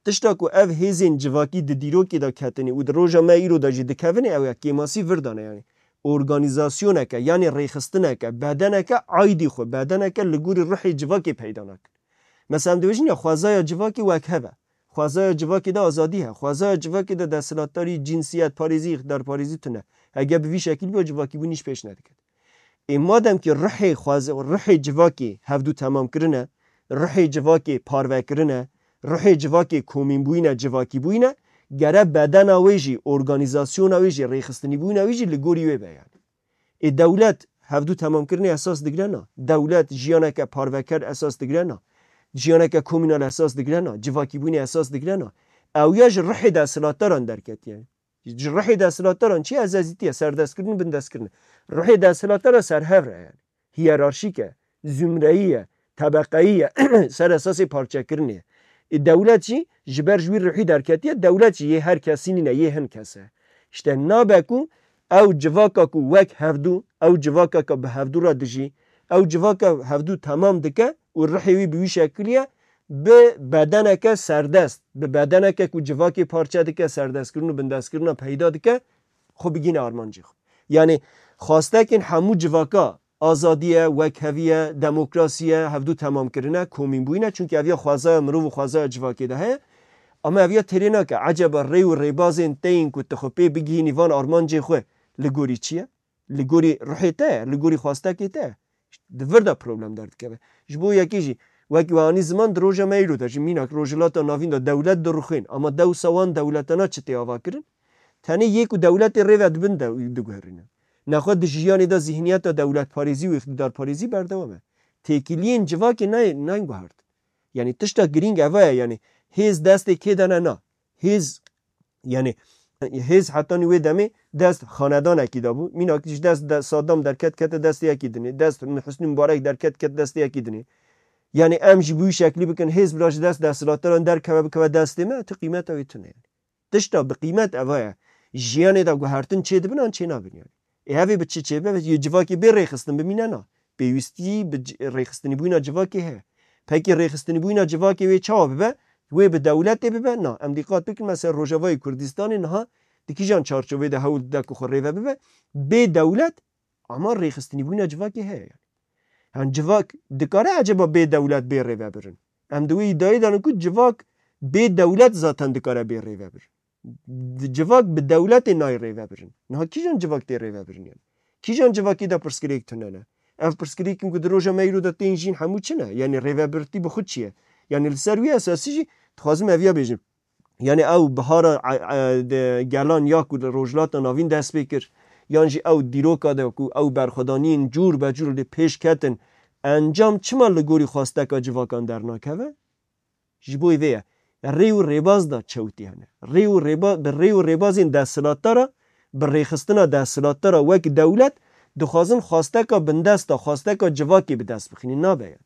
Tişta ku ev hêzên civakî di dîrokê de ketine û di roja me îro de jî dikevine, ew ya kêmasî vir de ne yanî. Organîzasyoneke, yanî rêxistineke, bedeneke aydî xwe, bedeneke li gorî ruhê civakê peyda nakin. Mesela em dibêjin ya xwezaya civakê wek hev e. Xwezaya civakê de azadî heye. Xwezaya civakê de desthilatdarî, cinsiyetparêzî, îqtidarparêzî tune. Hege bi vî şekil biya civakîbûn îş pêş nediket. Ê madem ki ruhê xweze-, ruhê civakê hevdû temam kirine, ruhê civakê parve kirine, ruhê civakê komînbûyîne, civakîbûyîne, gere bedena wê jî, organîzasyona wê jî, rêxistinîbûyîna wê jî li gorî wê be yanî. Ê dewlet hevdû temamkirinê esas digire na. Dewlet jiyaneke parveker esas digire na. Jiyaneke komînal esas digire na. Civakîbûnê esas digire na. Ew ya ji ruhê desthilatdaran derketiye. Ji ruhê desthilatdaran çi? Ezezîtiye, serdestkirin, bindestkirin. Ruhê desthilatdara serhev re yani. hiyerarşîk e, zumreyî ye, tebeqeyî ye, ser esasê parçekirinê ye. Ê dewlet jî ji ber ji wî ruhî derketiye, dewlet jî yê her kesî nîne, yê hin kes e. Îşte nabe ku ew civaka ku wek hevdû, ew civaka ku bi hevdû re dijî, ew civaka hevdû temam dike û ruhê wî bi wî şekilî ye, bi bedeneke serdest, bi bedeneke ku civakê parçe dike, serdestkirin û bindestkirina peyda dike, xwe bigihîne armancê xwe. Yanî xwastekên hemû civaka, azadî ye, wekhevî ye, demokrasî ye, hevdû temamkirin e, komînbûyîn e. Çunkî ev ya xwezaya mirov û xwezaya civakê de heye. Ama ev ya têrê nake. Eceba rê û rêbazên te yên ku tu xwe pê bigihînî van armancê xwe li gorî çi ye? Li gorî ruhê te ye, li gorî xwastekê te ye. Di vir de problem derdikeve. Ji bo yekê jî, wekî we anî ziman, di roja me îro de jî, mînak Rojhilata Navîn de dewlet dirûxên, ama dewsa wan dewletana çi tê ava kirin? Tenê yê ku dewletê rê ve dibin de diguherîne. Nexwe di jiyanê de zîhniyeta dewletparêzî û îqtîdarparêzî berdewam e. Têkiliyên civakê nayê, nayên guhert. Yanî tişta girîng eva ye, yanî hêz destê kê de ne na. Hêz, yanî hêz hetanî wê demê dest xanedanekî de bû. Mînak ji dest de Saddam derket kete destê yekî dinê. Dest Husnî Mubarek derket ket destê yekî dinê. Yanî em jî bi wî şeklî bikin, hêz bira ji dest desthilatdaran derkeve bikeve destê me, tu qîmeta wê tune ye. Tişta bi qîmet eva ye. Jiyanê de guhertin çê dibin an çê nabin yanî. Ê hevê bi çi çê bibe? Yê civakê bê rêxistin bimîne na. Pêwîstî bi c-, rêxistinîbûyîna civakê heye. Pekî rêxistinîbûyîna civakê wê çawa bibe? Wê bi dewletê bibe? Na. Em dîqat bikin, mesela Rojavayê Kurdistanê niha di kîjan çarçovê de hewl dide ku xwe rêve bibe? Bê dewlet, ama rêxistinîbûyîna civakê heye yanî. Yan civak dikare eceba bê dewlet bê rêvebirin? Em di wê îdiayê de ne ku civak bê dewlet zaten dikare bê rêvebir. Di civak bi dewletê nayê rêvebirin. Niha kîjan civak tê rêvebirin yanî? Kîjan civakê de pirsgirêk tune ne? Ev pirsgirêkên ku di roja me îro de tên jîn hemû çi ne? Yanî rêvebirtî bi xwe çi ye? Yanî li ser wî esasî jî dixwazim ev ya bêjim. Yanî ew bihara, e, e, de gelan ya ku li Rojhilata Navîn dest pê kir, yan jî ew dîroka de ku ew berxwedaniyên cûr be cûr li pêş ketin, encam çima li gorî xwesteka civakan dernakeve? Ji bo vê ye. Rê û rêbaz de çewtî hene. Rê û rêba-, bi rê û rêbazên desthilatdara, bi rêxistina desthilatdara wek dewlet dixwazin xwesteka bindesta, xwesteka civakê bi dest bixînin. Nabe yanî.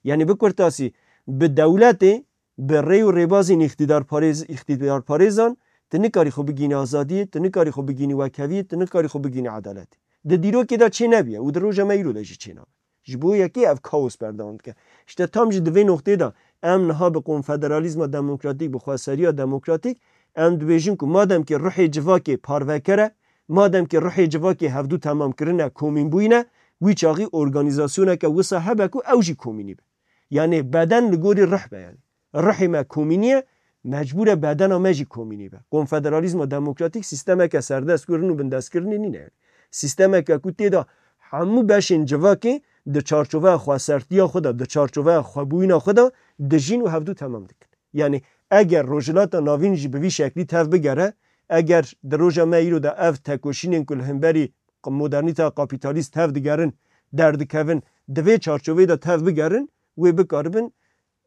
Yanî bi kurtasî, bi dewletê, bi rê û rêbazên îqtîdarparêz-, îqtîdarparêzan, tu nikarî xwe bigihînî azadiyê, tu nikarî xwe bigihînî wekheviyê, tu nikarî xwe bigihînî edaletê. Di dîrokê de çê nebiye û di roja me îro de jî çê nabe. Ji bo yekê ev kaos berdewam dike. Îşte tam jî di vê noqtê de em niha bi konfederalîzma demokratîk, bi xweseriya demokratîk, em dibêjin ku madem ki ruhê civakê parveker e, madem ki ruhê civakê hevdû temamkirin e, komînbûyîn e, wî çaxî organîzasyoneke wisa hebe ku ew jî komînî be. Yanî beden li gorî ruh be yanî. Ruhê me komînî ye, mecbûr e bedena me jî komînî be. Konfederalîzma demokratîk sîstemeke serdestkirin û bindestkirinê nîne yanî. Sîstemeke ku tê de hemû beşên civakê di çarçoveya xwesertiya xwe de, di çarçoveya xwebûyîna xwe de dijîn û hevdû temam dikin. Yanî eger Rojhilata Navîn jî bi vî şeklî tev bigere, eger di roja me îro de ev tekoşînên ku li hemberî modernîteya kapîtalîst tev digerin, derdikevin, di vê çarçoveyê de tev bigerin, wê bikaribin,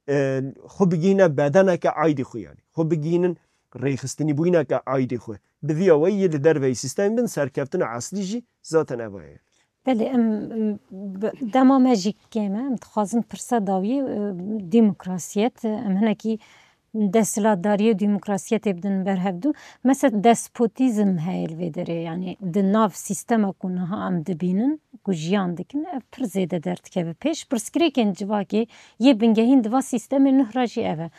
e, xwe bigihîne bedeneke aydî xwe yanî. Xwe bigihînin rêxistinîbûyîneke aydî xwe. Bi vî awayî yê li derveyî sîstemê bin serkeftina eslî jî zaten eva ye. Belê, em, em, bi-, dema me jî kêm e, em dixwazin pirsa dawiyê, e, demokrasiyet, em hinekî desthilatdariyê û demokrasiyetê bidin ber hevdû. Mesela despotîzm heye li vê derê, yanî di nav sîstema ku niha em dibînin, ku jiyan dikin, ev pir zêde derdikeve pêş. Pirsgirêkên civakê yê bingehîn di va sîstemê nuh re jî ev e.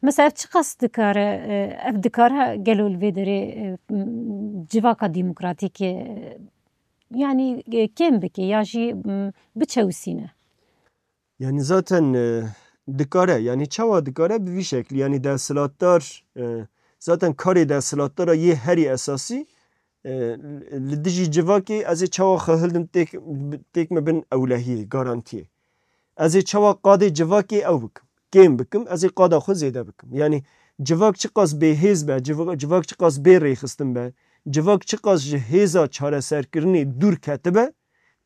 Mesela ev çiqas dikare, e, ev dikare gelo li vê derê, e, m-, civaka demokratîk, e, yanî, e, kêm bike ya jî, m, biçewisîne? Yanî zaten, e, dikare, yanî çawa dikare bi vî şeklî, yanî desthilatdar, e, zaten karê desthilatdara yê herî esasî, e, li dijî civakê ez ê çawa xwe hildim têk, têk me bin ewlehiyê, garantiyê. Ez ê çawa qadê civakê ew bikim, kêm bikim, ez ê qada xwe zêde bikim. Yanî civak çiqas bêhêz be, civa-, civak çiqas bê rêxistin be, civak çiqas ji hêza çareserkirinê dûr ketibe,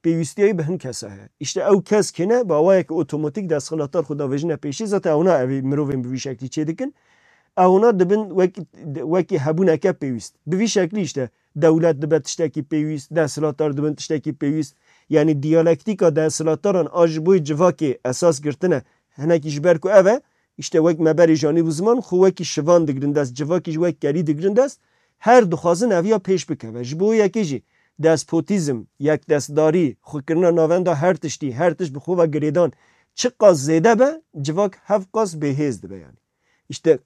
pêwîstiya wî bi hin kesa heye. Îşte ew kes kê ne, bi awayeke otomatîk desthilatdar xwe davêjine pêşî, zaten ewna ev ê mirovên bi vî şeklî çê dikin. Ewna dibin wek-, wekî hebûneke pêwîst. Bi vî şeklî îşte dewlet dibe tiştekî pêwîst, desthilatdar dibin tiştekî pêwîst. Yanî diyalektîka desthilatdaran a ji bo civakê esas girtine, hinekî ji ber ku ev e, îşte wek me berê janî bû ziman, xwe wekî şivan digirin dest, civakî ji wek kerî digirin dest, her dixwazin ev ya pêş bikeve. Ji bo yekê jî despotîzm, yekdestdarî, xwekirina navenda her tiştî, her tişt bi xwe ve girêdan çiqas zêde be, civak hevqas bêhêz dibe yanî. Îşte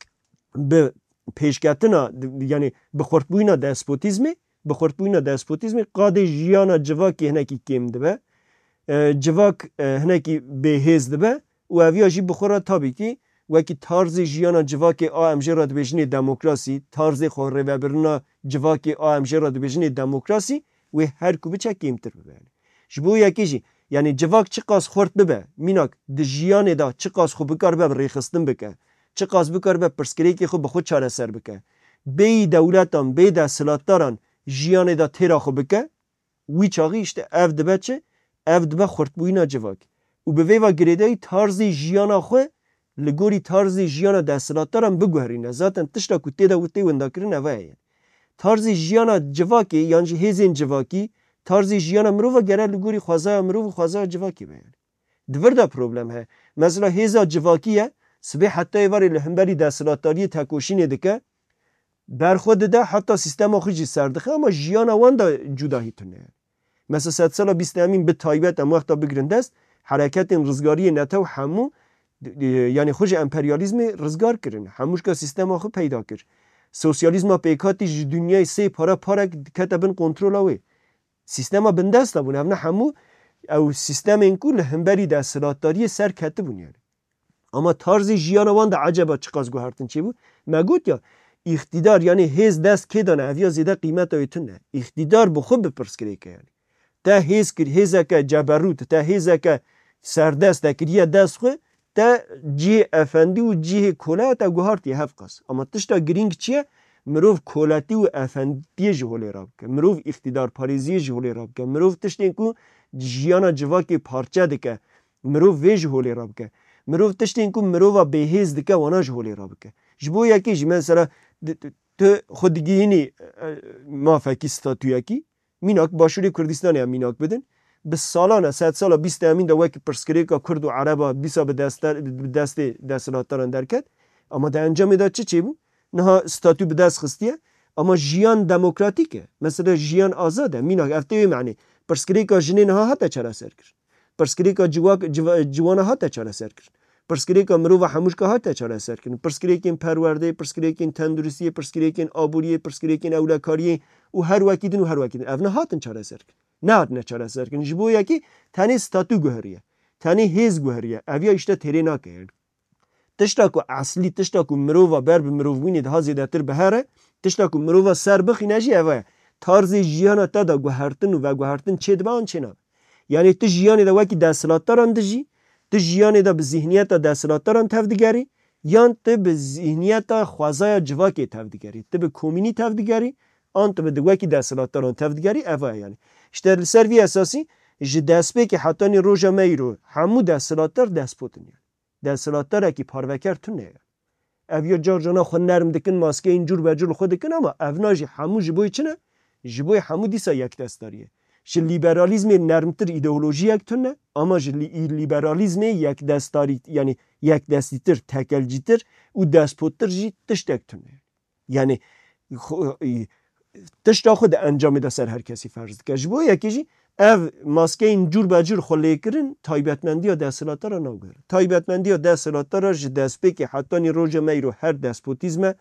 bi pêşketina, yanî bi xurtbûyîna despotîzmê, bi xurtbûyîna despotîzmê qadê jiyana civakê hinekî kêm dibe. E, civak, e, hinekî bêhêz dibe û ev ya jî bi xwe re tabî kî wekî tarzê jiyana civakê a em jê re dibêjinê demokrasî, tarzê xwerêvebirina civakê a em jê re dibêjinê demokrasî, wê her ku biçe kêmtir bibe. Ji bo yekê jî, yanî civak çiqas xurt bibe, mînak di jiyanê de çiqas xwe bikaribe bi rêxistin bike, çiqas bikaribe pirsgirêkê xwe bi xwe çareser bike, bêyî dewletan, bê desthilatdaran jiyanê de têra xwe bike, wî çaxî îşte ev dibe çi? Ev dibe xurtbûyîna civakê. Û bi vê ve girêdayî tarzê jiyana xwe li gorî tarzê jiyana desthilatdaran biguherîne. Zaten tişta ku tê de tê windakirin ev e. Tarzê jiyana civakê yan jî hêzên civakî, tarzê jiyana mirova gere li gorî xwezaya mirov û xwezaya civakê be yani. Di vir de problem heye. Mesela hêza civakî ye, sibê heta êvarê li hemberî desthilatdariyê tekoşînê dike, berxwe dide, heta sîstema xwe jî ser dixe, ama jiyana wan de cudahî tune ye. Mesela sedsala bîst emîn bi taybet em wexta bigirin dest, hereketên rizgariyê netew hemû, e, yanî xwe ji emperyalîzmê rizgar kirin. Hemû şka sîstema xwe peyda kir. Sosyalîzma pêkhatî ji dinyayê sê para parek kete bin kontrola wê. Sîstema bindest de bûn. Ev ne hemû ew sîstemên ku li hemberî desthilatdariyê ser ketibûn yani. Ama tarzê jiyana wan de eceba çiqas guhertin çêbû? Me got ya, îqtîdar, yanî hêz dest kê dane, ev ya zêde qîmeta wê tune. Îqtîdar bi xwe bi pirsgirêk e, yanî. Te hêz kir, hêzeke ceberût, te hêzeke serdest te kiriye dest xwe, te cihê efendî û cihê koleya te guhartiye hevqas. Ama tişta girîng çi ye? Mirov koletî û efendiyê ji holê rabike. Mirov îqtîdarparêziyê ji holê rabike. Mirov tiştên ku jiyana civakê parçe dike, mirov vê ji holê re bike. Mirov tiştên ku mirova bêhêz dike, wana ji holê re bike. Ji bo yekê jî mesela di-, tu xwe digihînî, e, mafekî, statuyekî, mînak Başûrê Kurdistanê em mînak bidin, bi salan e, sedsala bîst emîn de wekî pirsgirêka Kurd û Ereba dîsa bi deste-, bi destê desthilatdaran derket. Ama di encamê de çi çêbû? Niha statû bi dest xistiye, ama jiyan demokratîk e. Mesela jiyan azad e. Mînak ev tê wê manê. Pirsgirêka jinê niha hate çareserkirin. Pirsgirêka ciwak-, ciwa-, ciwana hate çareserkirin. Pirsgirêka mirova hemûşka hate çareserkirin. Pirsgirêkên perwerdeyê, pirsgirêkên tenduristiyê, pirsgirêkên aboriyê, pirsgirêkên ewlekariyê û her wekî din û her wekî din. Ev nehatin çareserkirin. Nehatine çareserkirin. Ji bo yekî tenê statû guheriye. Tenê hêz guheriye. Ev ya îşte têrê nake yani. Tişta ku eslî, tişta ku mirova ber bi mirovbûnê daha zêdetir bihere, tişta ku mirova ser bixîne jî ev e. Tarzê jiyana te de guhertin û veguhertin çêdibe an çênabe. Yanî tu jiyanê de wekî desthilatdaran dijî, tu jiyanê de bi zîhniyeta desthilatdaran tevdigerî, yan tu bi zîhniyeta xwezaya civakê tevdigerî. Tu bi komînî tevdigerî, an tu bi di wekî desthilatdaran tevdigerî, ev e yanî. Îşte li ser vî esasî ji destpêkê hetanî roja me îro hemû desthilatdar despot in yanî. Desthilatdarekî parveker tune ye. Ev ya car cana xwe nerm dikin, maskeyên cûr be cûr li xwe dikin, ama ev na jî hemû ji bo çi ne? Ji bo hemû dîsa yekdestdarî ye. Ji lîberalîzmê nermtir îdeolojiyek tune, ama ji lî-, lîberalîzmê yekdestarî, yanî yekdestîtir, tekelcîtir û despottir jî tiştek tune ye. Yanî, xwe, e, tişta xwe di encamê de ser her kesî ferz dike. Ji bo yekê jî ev maskeyên cûr be cûr xwe lêkirin, taybetmendiya desthilatdara nagihire. Taybetmendiya desthilatdara ji destpêkê hetanî roja me îro her despotîzm e.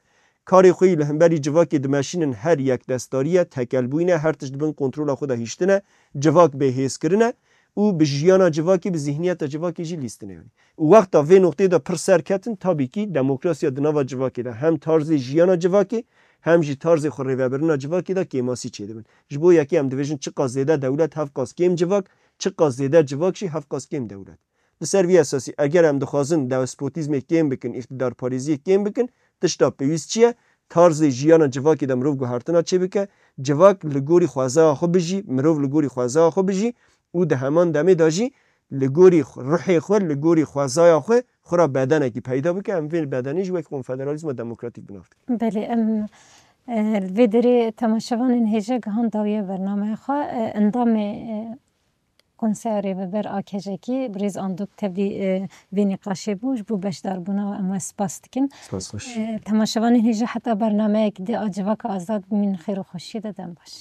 Karê xwe yî li hemberî civakê dimeşînin her yekdestdarî ye, tekelbûyî ne, her tişt di bin kontrola xwe de hiştine, civak bêhêzkirin e. û bi jiyana civakê, bi zîhniyeta civakê jî lîstin e yanî. Û wexta vê noqteyê de pir ser ketin, tabî kî demokrasiya di nava civakê de hem tarzê jiyana civakê, hem jî tarzê xwe rêvebirina civakê de kêmasî çêdibin. Ji bo yekê em dibêjin çiqas zêde dewlet, hevqas kêm civak, çiqas zêde civak jî hevqas kêm dewlet. Li ser vî esasî, eger em dixwazin despotîzmê kêm bikin, îqtîdarparêziyê kêm bikin, tişta pêwîst çi ye? Tarzê jiyana civakê de mirov guhertina çêbike, civak li gorî xwezaya xwe bijî, mirov li gorî xwezaya xwe bijî û di heman demê de jî li gorî xwe, ruhê xwe, li gorî xwezaya xwe, xwe re bedenekî peyda bike, em vê bedenê jî wek konfederalîzma demokratîk bi nav dikin. Belê, em, e, li vê derê temaşevanên hêja gihan dawiya bernameya xwe, e, endamê, e, Konseya Rêveber a Kejekî, birêz Andok tevlî, e, vê nîqaşê bû, ji bo beşdarbûna we em we spas dikin. Spas xweş. E, temaşevanên hêja heta bernameyek di a Civaka Azad bimînin xêr û xweşiyê de, dem baş.